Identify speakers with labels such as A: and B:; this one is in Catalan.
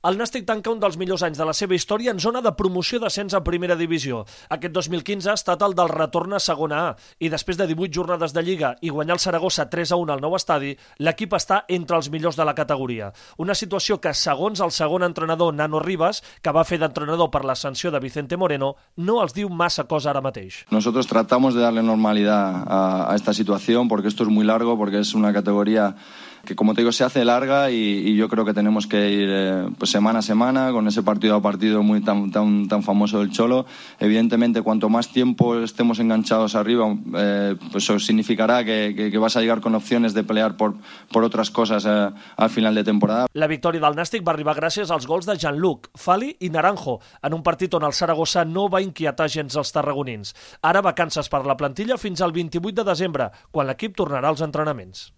A: El Nàstic tanca un dels millors anys de la seva història en zona de promoció d'ascens a primera divisió. Aquest 2015 ha estat el del retorn a segona A i després de 18 jornades de Lliga i guanyar el Saragossa 3-1 al nou estadi, l'equip està entre els millors de la categoria. Una situació que, segons el segon entrenador Nano Rivas, que va fer d'entrenador per l'ascensió de Vicente Moreno, no els diu massa cosa ara mateix.
B: Nosotros tratamos de darle normalidad a esta situación porque esto es muy largo, porque es una categoría que, como te digo, se hace larga y yo creo que tenemos que ir pues semana a semana con ese partido a partido muy tan famoso del Cholo. Evidentemente, cuanto más tiempo estemos enganchados arriba, pues eso significará que vas a llegar con opciones de pelear por otras cosas al final de temporada.
A: La victòria del Nàstic va arribar gràcies als gols de Jean-Luc, Fali i Naranjo, en un partit on el Saragossa no va inquietar gens els tarragonins. Ara vacances per la plantilla fins al 28 de desembre, quan l'equip tornarà als entrenaments.